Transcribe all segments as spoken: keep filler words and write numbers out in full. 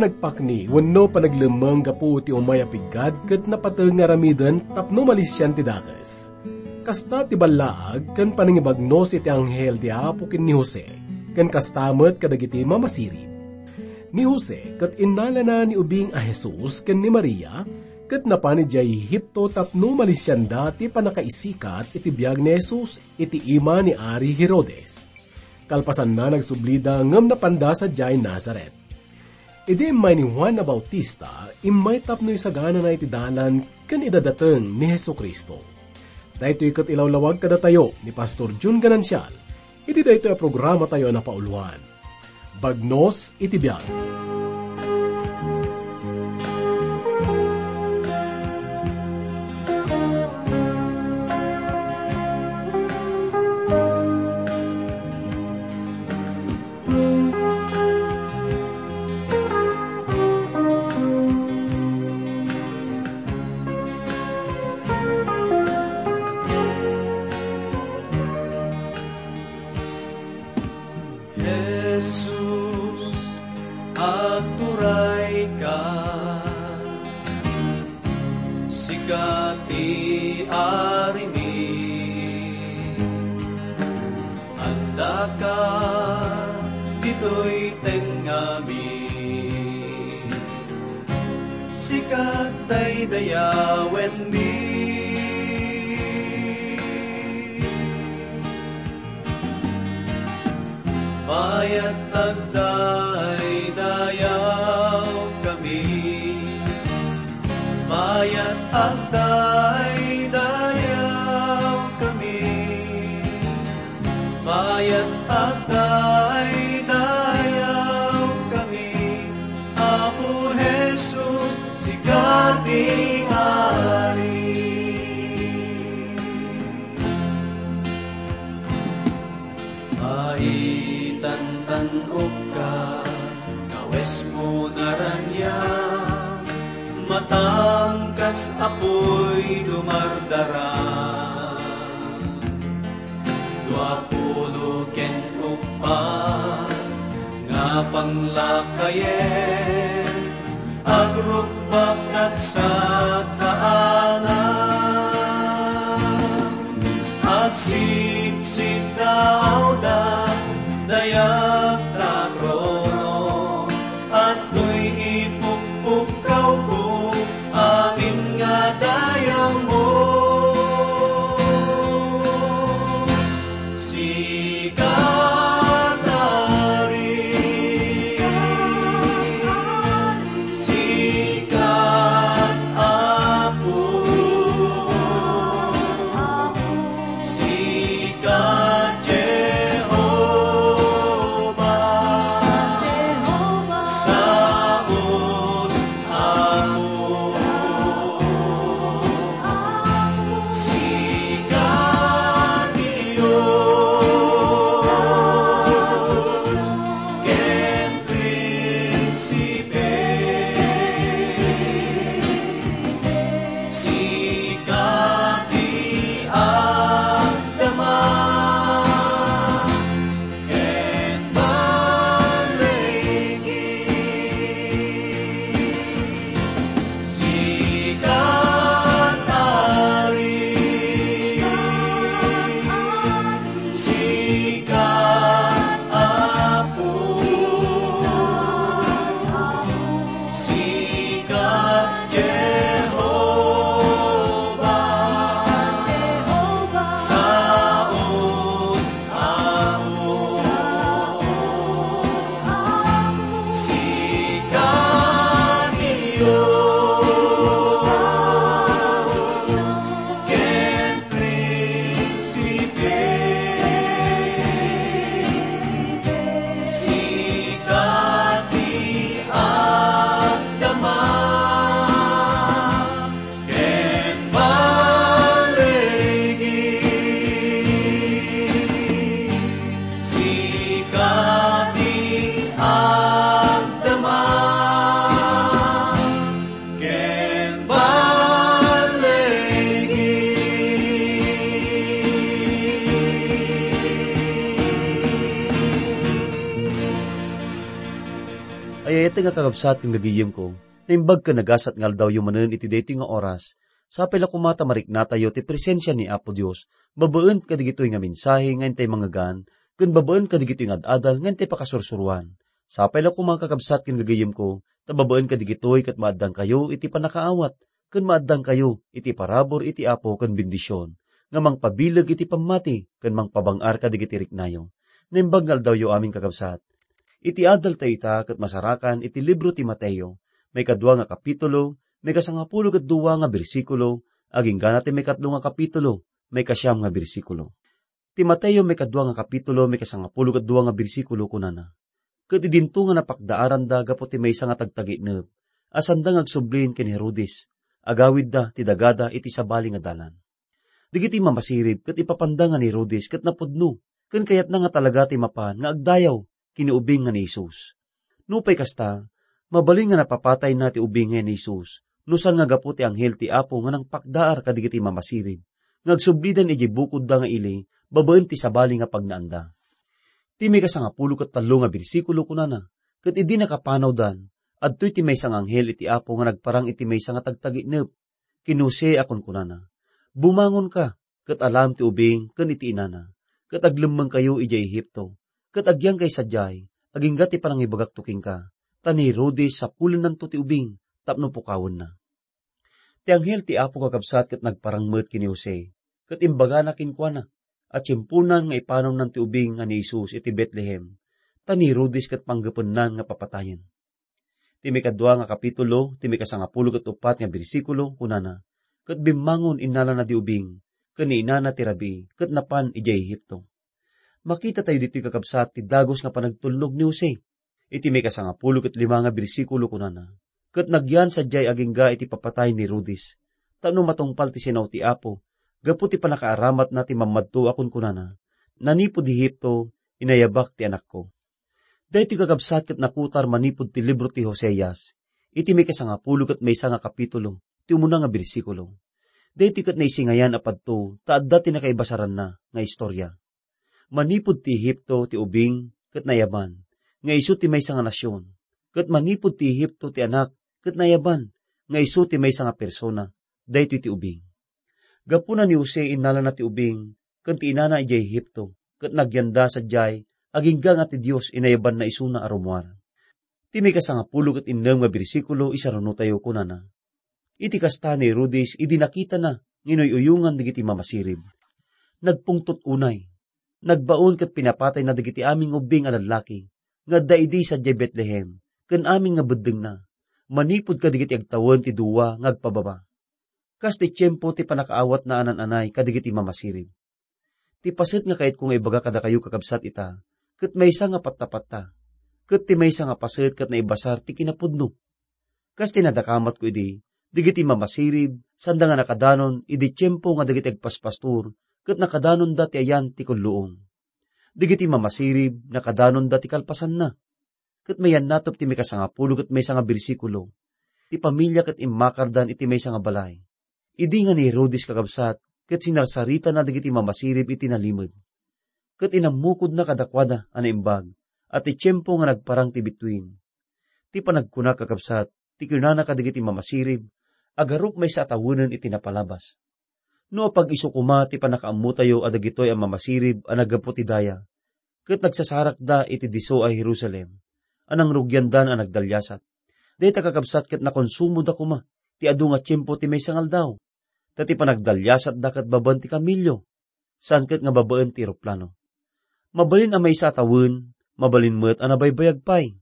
Nagpakni wenno panaglemmeng gapu ti umay a piggad ket napateg nga aramiden tapno malisian ti dakes. Kasta ti ballaag ken panangibagnos iti anghel ti Apo ken ni Jose, ken kasta met kadagiti mamasirib. Ni Jose ket innalana ni ubing a Jesus ken ni Maria, ket napan idiay Egipto tapno malisianda ti pannakaisikat iti biag ni Jesus iti ima ni Ari Herodes. Kalpasanna, nagsublida ngem napanda sadiay Nazaret. Idi immay ni Juan a Bautista, immay tapno isaganana iti dalan ken idadateng ni Jesu-Cristo. Daytoy ket ilawlawag kadatayo ni Pastor Jun Ganancial iti daytoy a programatayo a napauluan, Bagnos iti Biag. Jesus, agturayka, sika ti Arimi. Addaka ditoy tengngami, sika daydayawenmi. Mayat agdaydayawkami, mayat agdaydayawkami. Mayat agdaydayawkami, Apo Jesus, sika ti Ari. Maitantan-okka, kawesmo naraniag, matangkas a puy dumardara. Dua pulo ken uppat nga panglakayen, agrukbak kadsa kaanam. Agsiksidaawda, dayag ta trono, adtoy ipukpukkawko, amin nga dayawmo. Sika, Ari, sika, Apo. Ket nga kakabsat ken gagayemko, naimbag ken nagasat nga aldawyo manen iti daytoy nga oras, sapay la koma ta mariknatayo ti presensia ni Apo Dios, babaen kadigitoy nga mensahe nga intay mangngegan, ken babaen kadigitoy nga ad-adal nga intay pakasursuroan. Sapay la koma kakabsat ken gagayemko, ta babaen kadigitoy ket maaddangkayo iti pannakaawat, ken maaddangkayo iti parabur iti Apo ken bendision, nga mangpabileg iti pammati ken mangpabang-ar kadigiti riknayo. Naimbag nga aldawyo amin, kakabsat. Iti adal ta ita ket masarakan iti libro ti Mateo, maikadua nga kapitulo, maikasangapulo ket dua nga bersikulo, agingga na ti maikatlo nga kapitulo, maikasiam nga bersikulo. Ti Mateo maikadua nga kapitulo, maikasangapulo ket dua nga bersikulo, kunana, "Ket idinto nga napakdaaranda gapu ti maysa nga tagtaginep, a sanda nga agsublin ken Herodes, agawidda ti dagada iti sabali nga dalan." Dagiti mamasirib ket ipapanda nga ni Herodes ket napudno, ken kayatna nga talaga ti mapan nga agdayaw ken ni ubing nga ni Jesus. Nupay kasta, mabalin nga napapatayna ti ubing nga ni Jesus, no saan nga gapu ti anghel ti Apo nga nangpakdaar kadigiti mamasirib, nga agsublidan idiay bukodda nga ili babaen ti sabali nga pagnaanda. Ti maikasangapulo ket tallo nga bersikulo kunana, "Ket idi nakapanawdan, adtoy ti maysa nga anghel iti Apo nga nagparang iti maysa nga tagtaginep, ken ni Jose a kunkunana, 'Bumangonka, ket alaem ti ubing ken iti inana, ket aglemmengkayo idiay Egipto, ket agyankay sadiay, agingga ti panangibagakto kenka, ta ni Herodes sapulennanto ti ubing tapno pukawenna.'" Ti anghel ti Apo, kakabsat, ket nagparang met ken ni Jose, ket imbagana kenkuana a tiemponan nga ipanawnanto ti ubing nga ni Jesus iti Betlehem, ta ni Herodes ket panggepennan nga papatayen. Ti maikadua nga kapitulo, ti maikasangapulo ket uppat nga bersikulo, kunana, "Ket bimmangon, innalana di ubing, ken ni inana ti rabii, ket napan idiay Egipto." Makita tayo ditoy, kakabsat, ti dagus nga panagtulnog ni Jose. Iti maikasangapulo ket lima nga bersikulo, kunana, "Ket nagyan sadiay agingga iti papatay ni Herodes, tapno matungpal ti sinao ti Apo, gapu ti pannakaaramatna ti mammadto a kunkunana, 'Nanipud Egipto, inayabak ti anakko.'" Daytoy, kakabsat, ket nakutar manipud ti libro ti Hoseas, iti maikasangapulo ket maysa nga kapitulo, ti umuna nga bersikulo. Daytoy ket naisingayan a padto ta adda ti nakaibasaranna nga istorya. Manipud ti Egipto ti ubing ket nayaban nga isu ti maysa nga nasion, ket manipud ti Egipto ti anak ket nayaban nga isu ti maysa nga persona, daytoy ti ubing. Gapuna ni Jose, innalana ti ubing ken ti inana idiay Egipto, ket nagyanda sadiay agingga nga ti Dios inayabanna isuna a rummuar. Ti maikasangapulo ket innem nga bersikulo, isarunotayo, kunana, "Iti kasta ni Herodes, idi nakitana nga inuy-uyongan dagiti mamasirib, nagpungtot unay, nagbaon ket pinapatayna dagiti amin nga ubbing a lallaki nga adda idi sadiay Betlehem ken amin nga beddengna, manipud kadagiti agtawen ti dua nga agpababa." Kas ti tiempo ti pannakaawatna a naan-anay kadagiti mamasirib. Ti paset nga kayatko nga ibaga kadakayo, kakabsat, ita, ket maysa nga pattapatta, ket ti maysa nga paset ket naibasar ti kinapudno. Kas ti nadakamatko idi, dagiti mamasirib, sanda nga nakadanon idi tiempo nga dagiti agpaspastor, ket nakadanonda ti ayan ti kulluong. Dagiti mamasirib, nakadanonda ti kalpasanna. Ket mayannatop ti maikasangapulo ket maysa nga bersikulo, ti familia ket immakardan iti maysa nga balay. Idi nga ni Herodes, kakabsat, ket sinarsaritana dagiti mamasirib iti nalimed. Ket inammukodna kadakuada a naimbag a ti tiempo nga nagparang ti bituin. Ti panagkuna, kakabsat, ti kinunana kadagiti mamasirib, "Agarup maysa a tawenen iti napalabas." No apag-isu koma ti pannakaammotayo a dagitoy a mamasirib a naggapu ti daya, ket nagsasarakda iti disso a Jerusalem, a nangrugiandan a nagdaliasat. Dayta, kakabsat, ket nakonsumoda koma ti adu nga tiempo ti maysa nga aldaw, ta ti panagdaliasatda ket babaen ti kamelio, saan ket nga babaen ti eroplano. Mabalin a maysa a tawen, mabalin met a nabaybayag pay.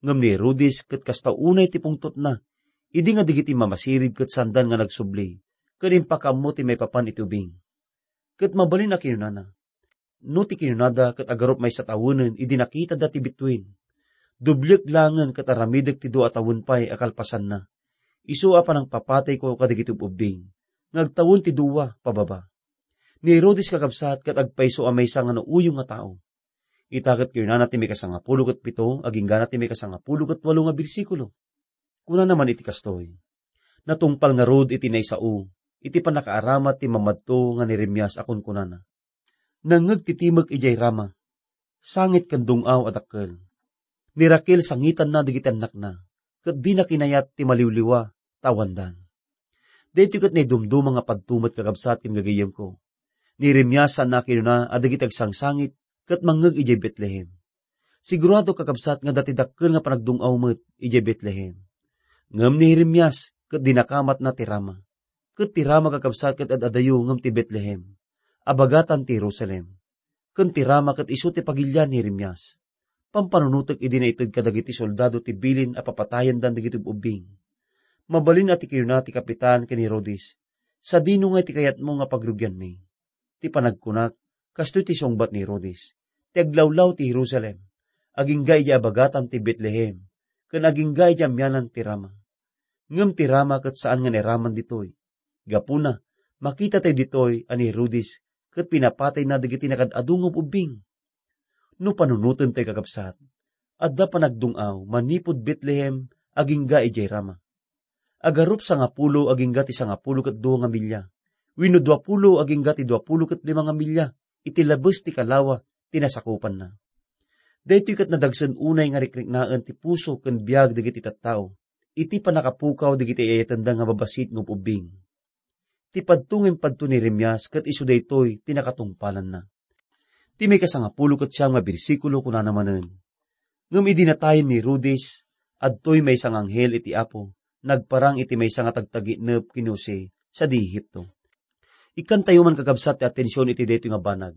Ngem ni Herodes ket kasta unay ti pungtotna, idi nga dagiti mamasirib ket sandan nga nagsubli, ket impakaammo ti maipapan iti ubing. Ket mabalin a kinunana, no ti kinunada ket agarup maysa a tawenen idi nakitada ti bituen. Dubliek laengen ket aramidek ti dua a tawen pay a kalpasanna. Isu a panangpapatayko kadagiti ub-ubbing, nga agtawen ti dua pababa. Ni Herodes, kakabsat, ket agpayso a maysa nga nauyong nga tao. Ita ket kinunana ti maikasangapulo ket pito, agingga na ti maikasangapulo ket walo nga bersikulo. Kunana man iti kastoy, "Natungpal ngarud iti naisao, iti pannakaaramat ti mamadto nga ni Jeremias a kunkunana, 'Nangngeg ti timek idiay Rama, sangit ken dung-aw a dakkel.'" Ni Raquel sangitanna dagiti annakna, ket dina kinayat ti maliwliwa ta awandan. Daytoy ket naidumduma nga padto met, kakabsat ken gagayyemko. Ni Jeremias saanna a kinuna a dagiti agsangsangit ket mangngeg idiay Betlehem. Sigurado, kakabsat, nga adda ti dakkel nga panagdung-aw met idiay Betlehem. Ngem ni Jeremias ket dinakamatna ti Rama. Ket ti Rama, kakabsat, ket ad-adayo ngem ti Betlehem, a bagatan ti Jerusalem. Ken ti Rama ket isu ti pagilian ni Jeremias. Pampanunotek idi naited kadagiti soldado ti bilin a papatayendan dagiti ub-ubbing. Mabalin a ti kinuna ti kapitan ken ni Herodes, "Sadino ngay ti kayatmo nga pagrugianmi?" Ti panagkunak, kastoy ti sungbat ni Herodes, ti aglawlaw ti Jerusalem, agingga idiay abagatan ti Betlehem, ken agingga idiay amianan ti Rama. Ngem ti Rama ket saan nga nairaman ditoy. Gapuna, makita tayo ditoy a ni Herodes ket pinapatayna dagiti nakaad-adu nga ub-ubbing. No panunoten tayo, kakabsat, adda panagdung-aw manipud Betlehem agingga idiay Rama. Agarup sangapulo agingga ti sangapulo ket dua nga milya, wenno duapulo agingga ti duapulo ket lima nga milya iti labes ti kalawa ti nasakupanna. Daytoy ket nadagsen unay nga rikriknaen ti puso ken biag dagiti tattao iti pannakapukaw dagiti ay-ayatenda nga babassit nga ub-ubbing. Ti padto nga impadto ni Jeremias ket isu daytoy ti nakatungpalanna. Ti maikasangapulo ket siam nga bersikulo kunana manen, "Ngem idi natayen ni Herodes, adtoy maysa nga anghel iti Apo, nagparang iti maysa nga tagtaginep ken ni Jose sadi Egipto." Ikkantayo man, kakabsat, ti atension iti daytoy nga banag.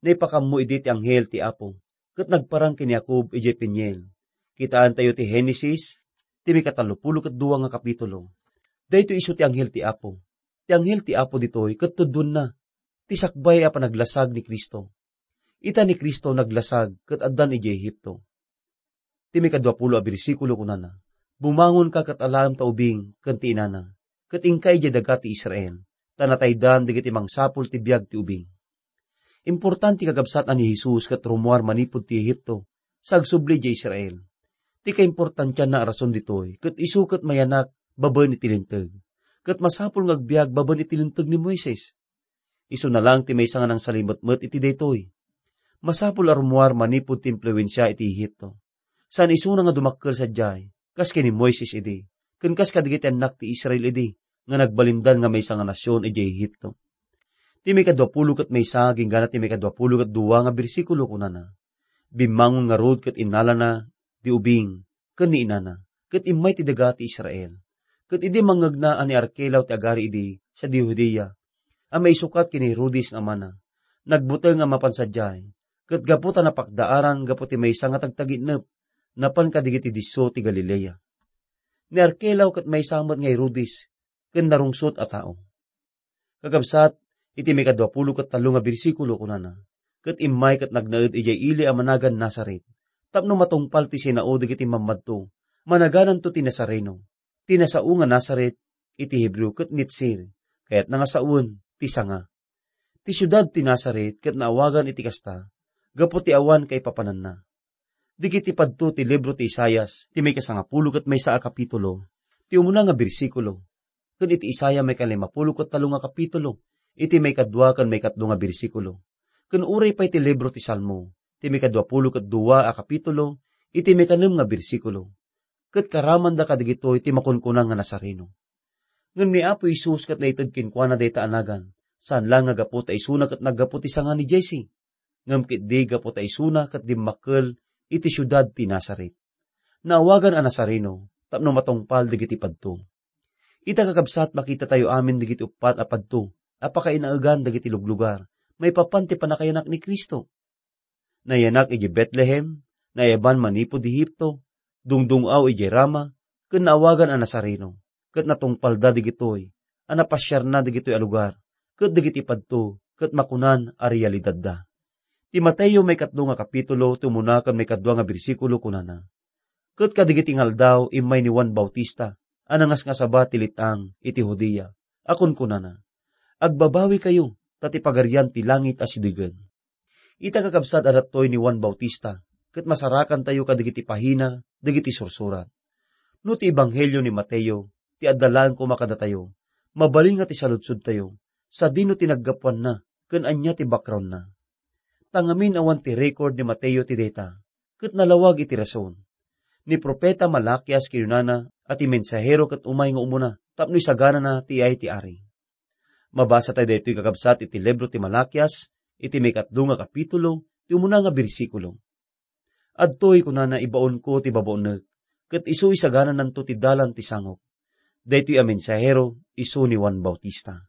Naipakammo idi ti anghel ti Apo, ket nagparang ken ni Jacob idiay Peniel. Kitaentayo ti Genesis, ti maikatallopulo ket dua nga kapitulo. Daytoy isu ti anghel ti Apo. Ti anghel ti Apo ditoy ket tudonna ti sakbay a panaglasag ni Cristo. Ita ni Cristo naglasag ket addan idiay Egipto. Ti maikaduapulo a bersikulo kunana, "Bumangonka ket alaem ta ubing ken ti inana, ket inka idiay daga ti Israel, ta nataydan dagiti mangsapul ti biag ti ubing." Importante, kakabsat, a ni Jesus ket rummuar manipud ti Egipto sa agsubli idiay Israel. Ti kaimportantianna a rason ditoy ket isu ket mayanak babaen iti Linteg, ket masapul nga agbiag babaen iti Linteg ni Moises. Isuna laeng ti maysa nga nangsalimetmet iti daytoy. Masapul a rummuar manipud ti impluensia iti Egipto. Saan isuna nga dumakkel sadiay, kas ken ni Moises idi, ken kas kadagiti annak ti Israel idi, nga nagbalindan nga maysa nga nasion idiay Egipto. Ti maikaduapulo ket maysa agingga ti maikaduapulo ket dua nga bersikulo kunana, "Bimmangon ngarud ket innalana di ubing ken ni inana, ket immay ti daga ti Israel." Ket idi mangngegna a ni Arkelao ti agari idi sadi Judea, a maisukat ken ni Herodes nga amana, nagbuteng a mapan sadiay, ket gapu ta napakdaaran gapu ti maysa nga tagtaginep, napan kadagiti disso ti Galilea. Ni Arkelao ket maysa met nga Herodes ken narungsot a tao. Kakabsat, iti maikaduapulo ket tallo nga bersikulo kunana, "Ket immay ket nagnaed idiay ili a managan Nazaret, tapno matungpal ti sinao dagiti mammadto, managananto ti Nazareno." Ti nasao nga Nazaret iti Hebreo ket Netzir, kayatna nga sawen ti sanga. Ti siudad ti Nazaret ket naawagan iti kasta gapu ti awan kaipapananna. Dagiti padto ti libro ti Isaias, ti maikasangapulo ket maysa a kapitulo, ti umuna nga bersikulo, ken iti Isaiah maikalimapulo ket tallo nga kapitulo, iti maikadua ken maikatlo nga bersikulo. Ken uray pay ti libro ti Salmo, ti maikaduapulo ket dua a kapitulo, iti maikanem nga bersikulo. Ket karamanda kadagitoy ti makunkuna nga Nazareno. Ngem ni Apo Jesus ket naited kenkuana dayta a nagan, saan la nga gapu ta isuna ket naggapu ti sanga ni Jesse, ngem ketdi gapu ta isuna ket dimmakkel iti siudad ti Nazaret. Naawagan a Nazareno tapno matungpal dagiti padto. Ita, kakabsat, makitatayo amin dagiti uppat a padto a pakainaegan dagiti luglugar maipapan ti pannakayanak ni Cristo. Nayanak idiay Betlehem, naayaban manipud Egipto, dungdung-aw idiay Rama, ken naawagan a Nazareno, ket natungpalda dagitoy a napasiarna dagitoy a lugar, ket dagiti padto ket makunan a realidadda. Ti Mateo maikatlo nga kapitulo, ti umuna ken maikadua nga bersikulo, kunana, "Ket kadagiti nga aldaw, immay ni Juan Bautista a nangasngasaba ti let-ang iti Judea, a kunkunana, 'Agbabawikayo, ta ti Pagarian ti langit asidegen.'" Ita, kakabsat, adda toy ni Juan Bautista, ket masarakantayo kadagiti pahina dagiti sursurat. No ti Ebanghelio ni Mateo ti adda laeng koma kadatayo, mabalin nga ti saludsodtayo, sadino ti naggapuanna ken ania ti backgroundna? Ta ngamin awan ti record ni Mateo ti dayta, ket nalawag iti rason. Ni profeta Malakias kinunana a ti mensahero ket umay nga umuna tapno isaganana ti iyay ti ari. Mabasa tayo daytoy, kakabsat, iti libro ti Malakias, iti maikatlo nga kapitulo, ti umuna nga bersikulo. "Adtoy," kunana, "ibaonko ti babaonek, ket isu isaganananto ti dalan ti sangok." Daytoy a mensahero isu ni Juan Bautista.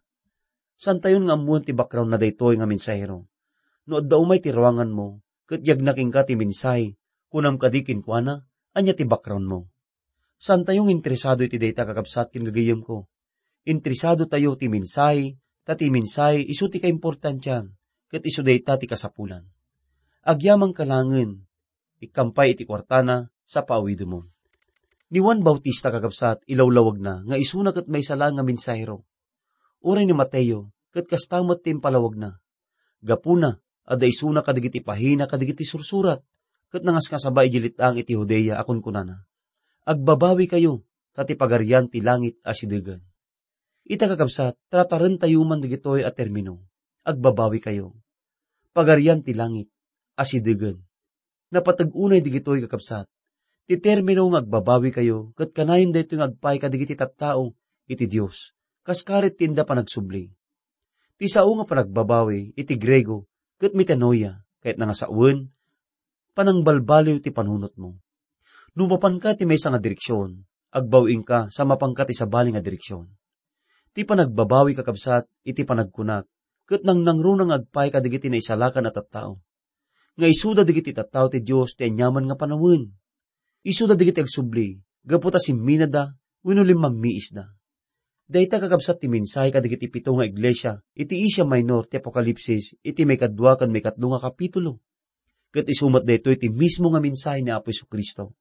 Saantayon nga ammoen ti background na daytoy nga mensahero. No adda umay ti ruanganmo, ket yagna kenka ti mensahe, kunam kadi kenkuana, "Ania ti background mo?" Saantayo nga interesado iti dayta, kakabsat ken gagayemko. Interesado tayo ti mensahe, ta ti mensahe isu ti kaimportantian, ket isu dayta ti kasapulan. Agyamankalaengen, ikkampay iti kuartana, sa paawidemon. Ni Juan Bautista, kakabsat, ilawlawagna nga isuna ket maysa laeng nga mensahero. Uray ni Mateo, ket kasta met ti impalawagna. Gapuna, adda isuna kadagiti pahina kadagiti sursurat, ket nangasngasaba idiay let-ang iti Judea a kunkunana, "Agbabawikayo, ta ti Pagarian ti langit asidegen." Ita, kakabsat, tratarentayo man dagitoy a termino, "Agbabawikayo." Pagarian ti langit asidegen. Napateg unay dagitoy, kakabsat. Ti termino nga "agbabawikayo" ket kanayon daytoy nga agpaay kadagiti tattao iti Dios, kas karit ti inda panagsubli. Ti sao nga panagbabawi iti Griego ket metanoia, kayatna nga sawen, panangbalbaliw ti panunotmo. No mapanka ti maysa nga direksion, agbaw-ingka sa mapanka ti sabali nga direksion. Ti panagbabawi, kakabsat, iti panagkunak, ket nangnangruna nga agpaay kadagiti naisalakan a tattao. Nga isuda dagiti tattao ti Dios ti aniaman nga panawen. Isuda dagiti agsubli, gapu ta simminada wenno limmammiisda. Dayta, kakabsat, ti mensahe kadagiti pito nga iglesia iti Asia Minor ti Apokalipsis iti maikadua ken maikatlo nga kapitulo. Ket isu met daytoy ti mismo nga mensahe ni Apo Jesu-Cristo.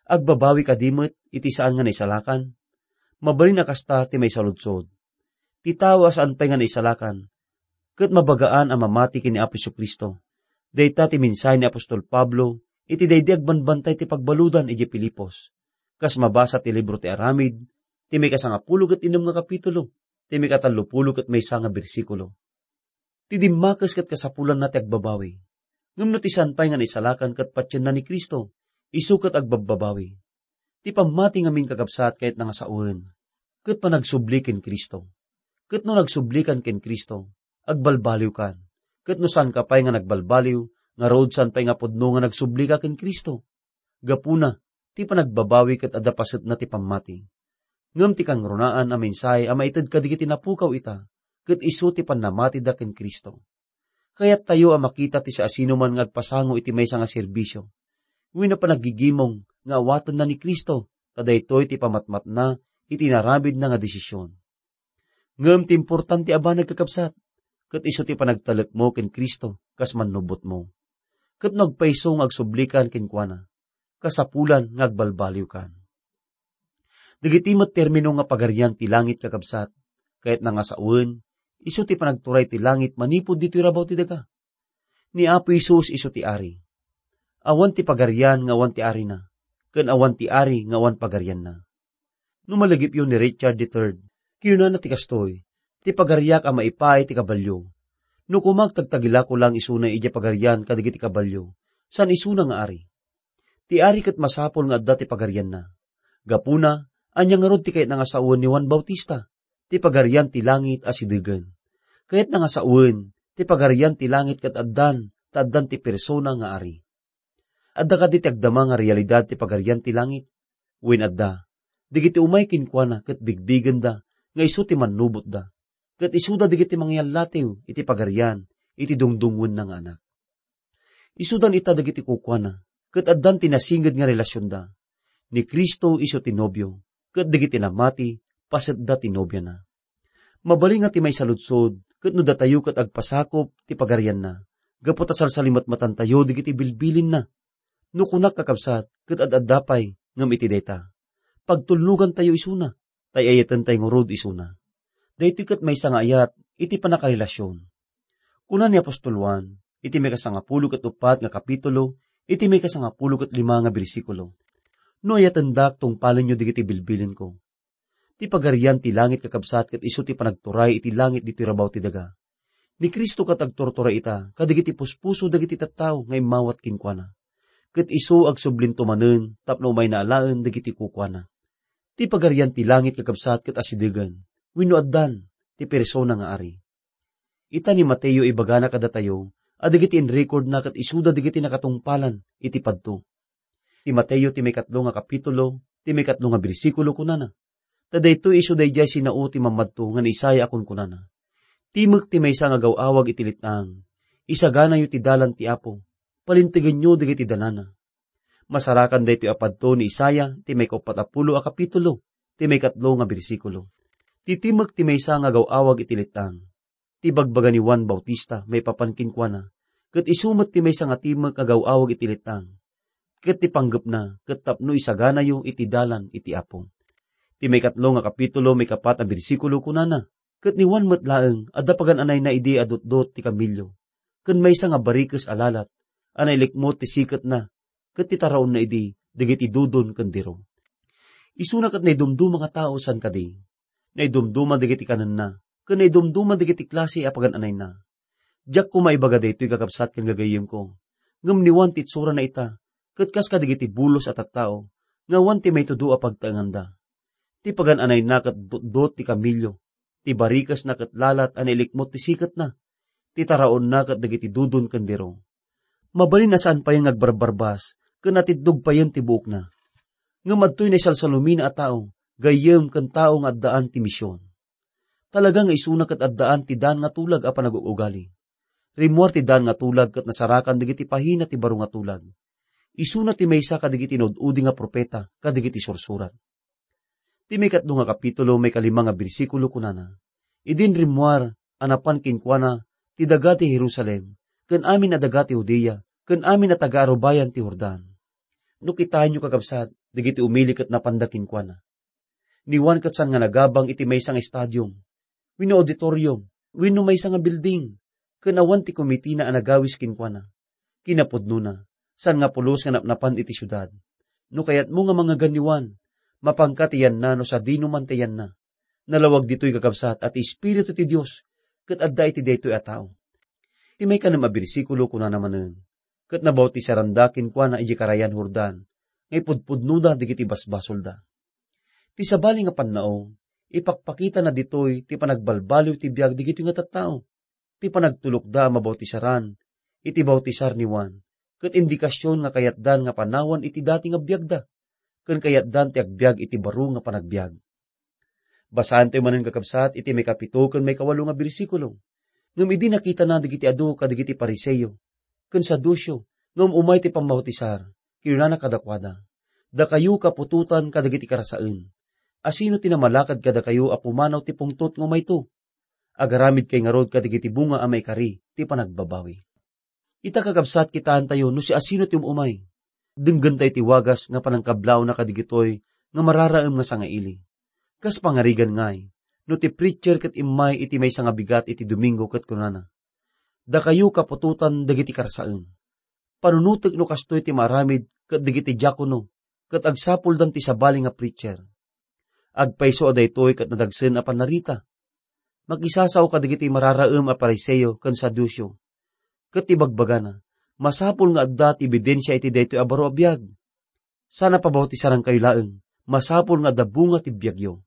Agbabawi kadi met iti saan nga naisalakan? Mabalin a kasta ti maisaludsod. Ti tao a saan pay nga naisalakan, ket mabagaan a mamati ken ni Apo Jesu-Cristo. Dayta ti mensahe ni apostol Pablo iti daydi agbanbantay ti pagbaludan idiay Filipos, kas mabasa ti libro ti Aramid, ti maikasangapulo ket innem nga kapitulo, ti maikatallopulo ket maysa nga bersikulo. Ti dimmakes ket kasapulanna ti agbabawi. Ngem no ti saan pay nga naisalakan ket patienna ni Cristo, isu ket agbabbabawi. Ti pammati ngamin, kakabsat, kayatna nga sawen ket panagsubli ken Cristo. Ket no nagsublikan ken Cristo, agbalbaliwkan. Ket no saanka pay nga nagbalbaliw, ngarud saan pay nga pudno nga nagsublika ken Cristo. Gapuna, ti panagbabawi ket adda pasetna ti pammati. Ngem ti kangrunaan a mensahe a maited kadagiti napukaw ita, ket isu ti pannamatida ken Cristo. Kayattayo a makita ti siasinoman nga agpasango iti maysa nga serbisio wenno panaggigimong nga awatenna ni Cristo, ta daytoy ti pamatmatna iti inaramidna nga desisyon. Ngem ti importante a banag, kakabsat, ket isu ti panagtalekmo ken Cristo kas mannubotmo. Ket no agpayso nga agsublikan kenkuana, kasapulan nga agbalbaliwkan. Dagiti met termino nga pagarian ti langit, kakabsat, kayatna nga sawen, isu ti panagturay ti langit manipud ditoy rabaw ti daga. Ni Apo Jesus isu ti Ari. Awan ti pagarian nga awan ti arina, ken awan ti ari nga awan pagarianna. No malagipyo ni Richard the third, kinunana ti kastoy, "Ti pagariak a maipaay ti kabalio. No kumak, tagtagilako lang isuna idiay pagarian kadagiti kabalio, saan isuna nga ari." Ti ari ket masapul nga adda ti pagarianna. Gapuna, ania ngarud ti kayatna nga sawen ni Juan Bautista? Ti pagarian ti langit asidegen. Kayatna nga sawen, ti pagarian ti langit ket addan, ta addan ti persona nga ari. Adda kadi ti agdama nga realidad ti pagarian ti langit? Wen adda. Dagiti umay kenkuana ket bigbigenda nga isu ti mannubotda, ket isuda dagiti mangyallatiw iti pagarian iti dungdungngoenna nga Anak. Isudan ita dagiti kukuana, ket addan ti nasinged nga relasionda. Ni Cristo isu ti nobio, ket dagiti namati, pasetda ti nobiana. Mabalin nga ti maisaludsod, ket no datayo ket agpasakop ti pagarianna, gapu ta salsalimatmatantayo dagiti bilbilinna. No kunak, kakabsat, ket ad-adda pay ngem iti dayta, pagtulnogantayo isuna, ta ay-ayatentayo ngarud isuna. Daytoy ket maysa nga ayat iti pannakarelasion. Kuna ni apostol Juan iti maikasangapulo ket uppat nga kapitulo, iti maikasangapulo ket lima nga bersikulo, "No ayatendak, tungpalenyo dagiti bilbilinko." Ti pagarian ti langit, kakabsat, ket isu ti panagturay iti langit ditoy rabaw ti daga. Ni Cristo ket agturturay ita kadagiti puspuso dagiti tattao nga immawat kenkuana. ket isu agsublinto manen tapno umayna alaen dagiti kukuana. Ti Pagarian ti Langit, kakabsat, ket asidegen, wenno addan ti persona nga ari. Ita ni Mateo, ibagana kadatayo a dagiti inrekordna ket isuda dagiti nakatungpalan iti padto. Ti Mateo ti maikatlo nga kapitulo, ti maikatlo nga bersikulo, kunana, "Ta daytoy isu daydiay sinao ti mammadto nga ni Isaiah a kunkunana, 'Timek ti maysa nga agaw-awag iti let-ang. Isaganayo ti dalan ti Apo. Palintegenyo dagiti danana.'" Masarakan daytoy a padto ni Isaiah ti maikauppat a pulo a kapitulo, ti maikatlo nga bersikulo. Ti timek ti maysa nga agaw-awag iti let-ang. Ti bagbaga ni Juan Bautista maipapan kenkuana, ket isu met ti maysa nga timek nga agaw-awag iti let-ang. Ket ti panggepna ket tapno isaganayo iti dalan iti Apo. Ti maikatlo nga kapitulo, maikapat a bersikulo, kunana, "Ket ni Juan met laeng, adda pagan-anayna idi a dutdot ti kamelio, ken maysa nga barikes a lalat a nailikmut ti siketna, ket ti taraonna idi dagiti dudon ken diro." Isuna ket naidumduma nga tao saan kadi. Naidumduma dagiti kanenna, ken naidumduma dagiti klase a pagan-anayna. Diak koma ibaga daytoy, kakabsat ken gagayyemko, ngem ni Juan ti itsurana ita, ket kas kadagiti bulos a tattao, nga awan ti maitudo a pagtaenganda. Ti pagan-anayna ket dutdot ti kamelio, ti barikesna ket lalat a nailikmut ti siketna, ti taraonna ket dagiti dudon ken diro. Mabalin a saan payen nga agbarbarbas ken natiddog payen ti buokna. Ngem adtoy naisalsalumina a tao, gayyem ken tao nga addaan ti mision. Talaga nga isuna ket addaan ti daan nga tulag a panag-ugali. Rimmuar ti daan nga tulag ket nasarakan dagiti pahina ti baro nga tulag. Isuna ti maysa kadagiti inud-udi nga profeta kadagiti sursurat. Ti maikatlo nga kapitulo, maikalima nga bersikulo, kunana, "Idin rimmuar a napan kenkuana ti daga ti Jerusalem, ken amin a daga ti Judea, ken amin a taga-arubayan ti Jordan." No kitaenyo, kakabsat, dagiti umili ket napanda kenkuana. Ni Juan ket saan nga nagabang iti maysa nga stadium, wenno auditorium, wenno maysa nga building, ken awan ti komitina a nagawis kenkuana. Kinapudnona, saan nga pulos nga napnapan iti siudad. No kayatmo nga mangngegan ni Juan, mapanka ti yanna no sadino man ti yanna. Nalawag ditoy, kakabsat, a ti Espiritu ti Dios ket adda iti daytoy a tao. Ti maikanem a bersikulo, kunana manen, "Ket nabautisaranda kenkuana idiay karayan Jordan, nga ipudpudnoda dagiti basbasolda." Ti sabali nga pannao, ipakpakitana ditoy ti panagbalbaliw ti biag dagitoy nga tattao. Ti panagtulokda a mabautisaran iti bautisar ni Juan, ket indikasion nga kayatdan nga panawan iti dati nga biagda, ken kayatdan ti agbiag iti baro nga panagbiag. Basaentayo manen, kakabsat, iti maikapito ken maikawalo nga bersikulo. Ngem idi nakitana dagiti adu kadagiti Fariseo ken Saduceo nga um-umay ti pammautisar, kinunana kadakuada, "Dakayo kaputotan kadagiti karasaen, asino ti namalakad kadakayo a pumanaw ti pungtot nga umayto? Agaramidkay ngarud kadagiti bunga a maikari ti panagbabawi." Ita, kakabsat, kitaentayo no siasino ti um-umay. Denggentayo ti wagas nga panangkablaawna kadagitoy nga mararaem nga sangaili. Kas pangarigan ngay, no ti preacher ket immay iti maysa nga bigat iti Domingo ket kunana, "Dakayo kaputotan dagiti karasaen." Panunotek no kastoy ti maaramid ket dagiti diakono ket agsapuldan ti sabali nga preacher. Agpayso a daytoy ket nadagsen a pannarita. Makisasao kadagiti mararaem a Fariseo ken Saduceo. Ket ti bagbagana, masapul nga adda ti ebidensia iti daytoy a baro a biag. Saan a pabautisarankayo laeng, masapul nga adda bunga ti biagyo.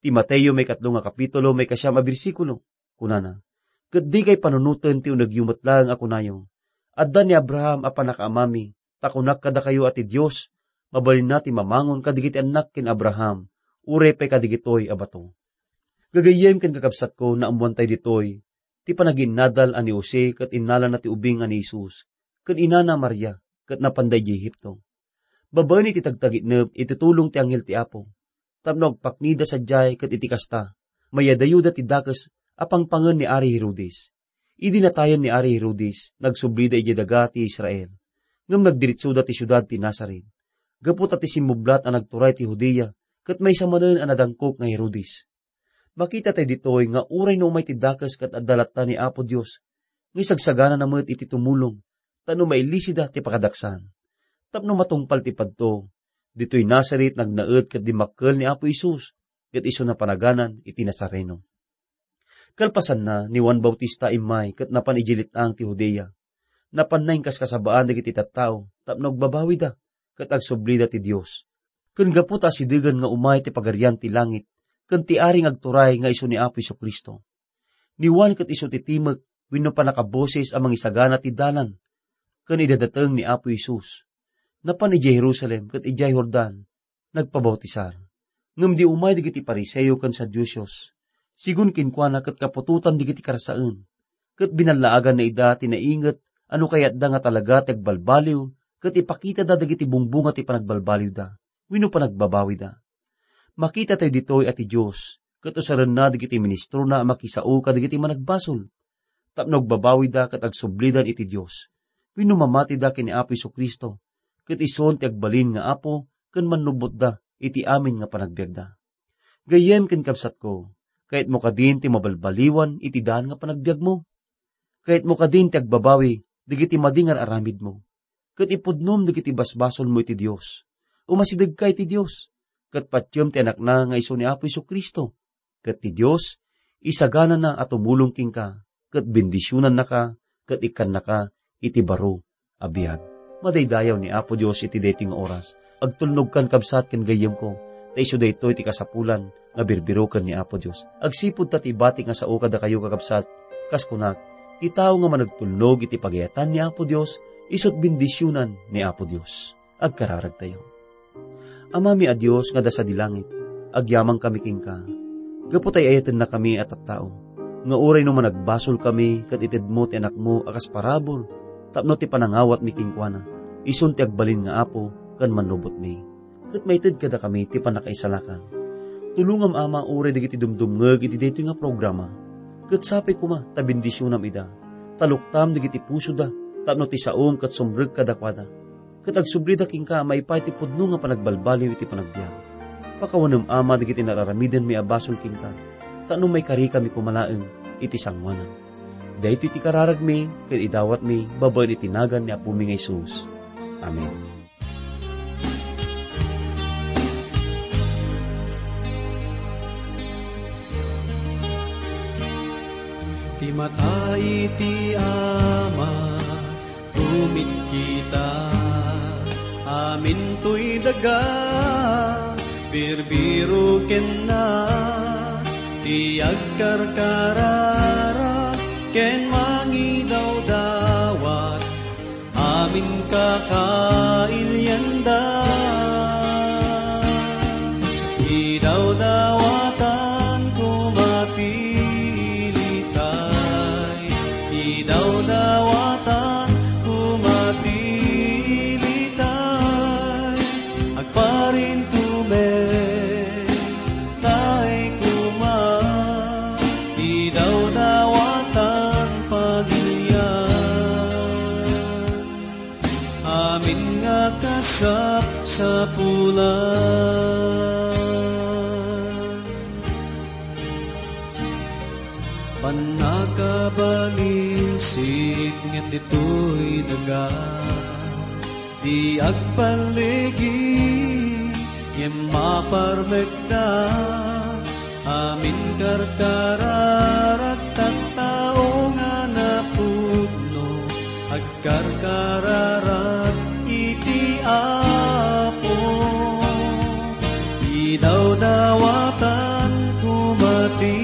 Ti Mateo maikatlo nga kapitulo, maikasiam a bersikulo, kunana, "Ket dikay panunoten ti unegyo met laeng a kunayo, 'Adda ni Abraham a pannakaamami, ta kunak kadakayo a ti Dios mabalinna ti mamangon kadagiti annak ken Abraham, uray pay kadagitoy a bato.'" Gagayyem ken kakabsatko, naammoantay ditoy ti panagiinnadal a ni Jose ket innalana ti ubing a ni Jesus ken inana Maria ket napanda idiay Egipto. Babaen iti tagtagitnep iti tulong ti anghel ti Apo, tapno agpaknida sadiay ket iti kasta, mayadayoda ti dakes a pangpangen ni Ari Herodes. Idi natayen ni Ari Herodes, nagsublida idiay daga ti Israel. Ngem nagdiritsoda ti siudad ti Nazaret, gapu ta ti simmublat a nagturay ti Judea ket maysa manen a nadangkok nga Herodes. Makitatayo ditoy nga uray no umay ti dakes ket adda latta ni Apo Dios, nga isagsaganana met iti tumulong, tapno mailisida ti pakadaksan. Tapno matungpal ti padto, ditoy Nazaret nagnaed ket dimmakkel ni Apo Jesus, ket isu napanaganan iti Nazareno. Kalpasanna, ni Juan Bautista immay ket napan idiay let-ang ti Judea. Napanna inkaskasabaan dagiti tattao tapno agbabawida ket agsublida ti Dios. Ken gapu ta asidegen nga umay ti Pagarian ti langit ken ti ari nga agturay nga isu ni Apo Jesu-Cristo. Ni Juan ket isu ti timek wenno pannakaboses a mangisagana ti dalan ken idadateng ni Apo Jesus. Napan idiay Jerusalem ket idiay Jordan nagpabautisar. Ngem di umay dagiti Fariseo ken Saduceos, sigun kenkuana ket kaputotan dagiti karsaen, ket binallaaganna ida ti nainget a no kayatda nga talaga ti agbalbaliw ket ipakitada dagiti bungbunga ti panagbalbaliwda wenno panagbabawida. Makitatayo ditoy a ti Dios ket usarenna dagiti ministrona a makisao kadagiti managbasol tapno agbabawida ket agsublidan iti Dios wenno mamatida ken ni Apo Jesu-Cristo, ket isun ti agbalin nga Apo ken mannubotda iti amin nga panagbiagda. Gayyem ken kabsatko, kayatmo kadin ti mabalbaliwan iti daan nga panagbiagmo? Kayatmo kadin ti agbabawi dagiti madi nga ar-aramidmo, ket ipudnom dagiti basbasolmo iti Dios? Umasidegka iti Dios, ket patiem ti Anakna nga isu ni Apo Jesu-Cristo, ket ti Dios isaganana a tumulong kenka, ket bendisionannaka, ket ikkannaka iti baro a biag. Madaydayaw ni Apo Dios iti daytoy nga oras. Agtulnogkan, kabsat ken gayyemko, ta isu daytoy ti kasapulan nga birbiroken ni Apo Dios. Agsipud ta ti ibati nga sao kadakayo, kakabsat, kas kunak, ti tao nga managtulnog iti pagayatan ni Apo Dios, isut' bendisionan ni Apo Dios. Agkararagtayo. Amami a Dios nga adda sadi langit, agyamankami kenka. Gapu ta ay-ayatennakami a tattao, nga uray no managbasolkami ket itedmo ti Anakmo a kas parabur tapno ti panangawatmi kenkuana, isun ti agbalin nga Apo ken mannubotmi. Ket maited kadakami ti pannakaisalakan. Tulongam, Ama, uray dagiti dumdumngeg iti daytoy nga programa, ket sapay koma ta bendisionam ida. Taluktam dagiti pusoda tapno ti saom ket sumrek kadakuada. Ket agsublida kenka a maipaay ti pudno nga panagbalbaliw iti panagbiag. Pakawanem, Ama, dagiti nararamidenmi a basol kenka, ta no maikarikami koma laeng iti sangoanan. Daytoy ti kararagmi ken idawatmi babaen iti nagan ni Apomi nga Jesus. Amen. Ti mata iti Ama, tumitkita, amin toy daga, birbiro kenna, ti agkarkararag ken mangidawdawat, amin kakailianda. Idawdawatan koma ti ilitay, idawdawatan koma ti ilitay, agparintumen tay koma, idawdawatan pagilian. Amin nga kasapsapulan. Pannakabalinsit ngem ditoy daga, ti agpalligi ngem maparmekda, amin karkararag tattao nga napudno, agkarkararag iti Apo. Idawdawatan koma ti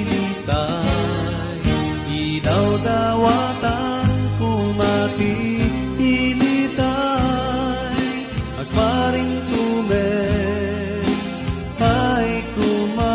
ilitay, idawdawatan koma ti ilitay, agparintumen tay koma,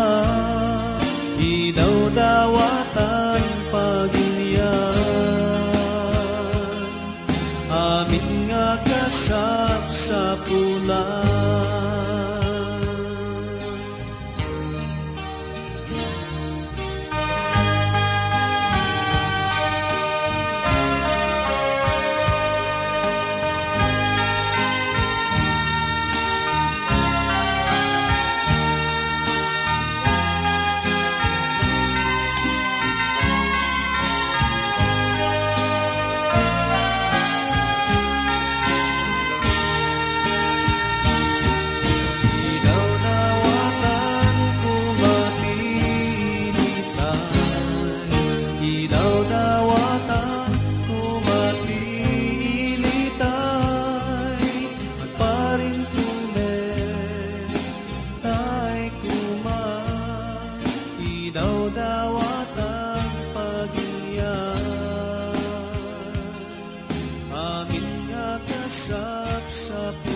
Amin nga kasapsap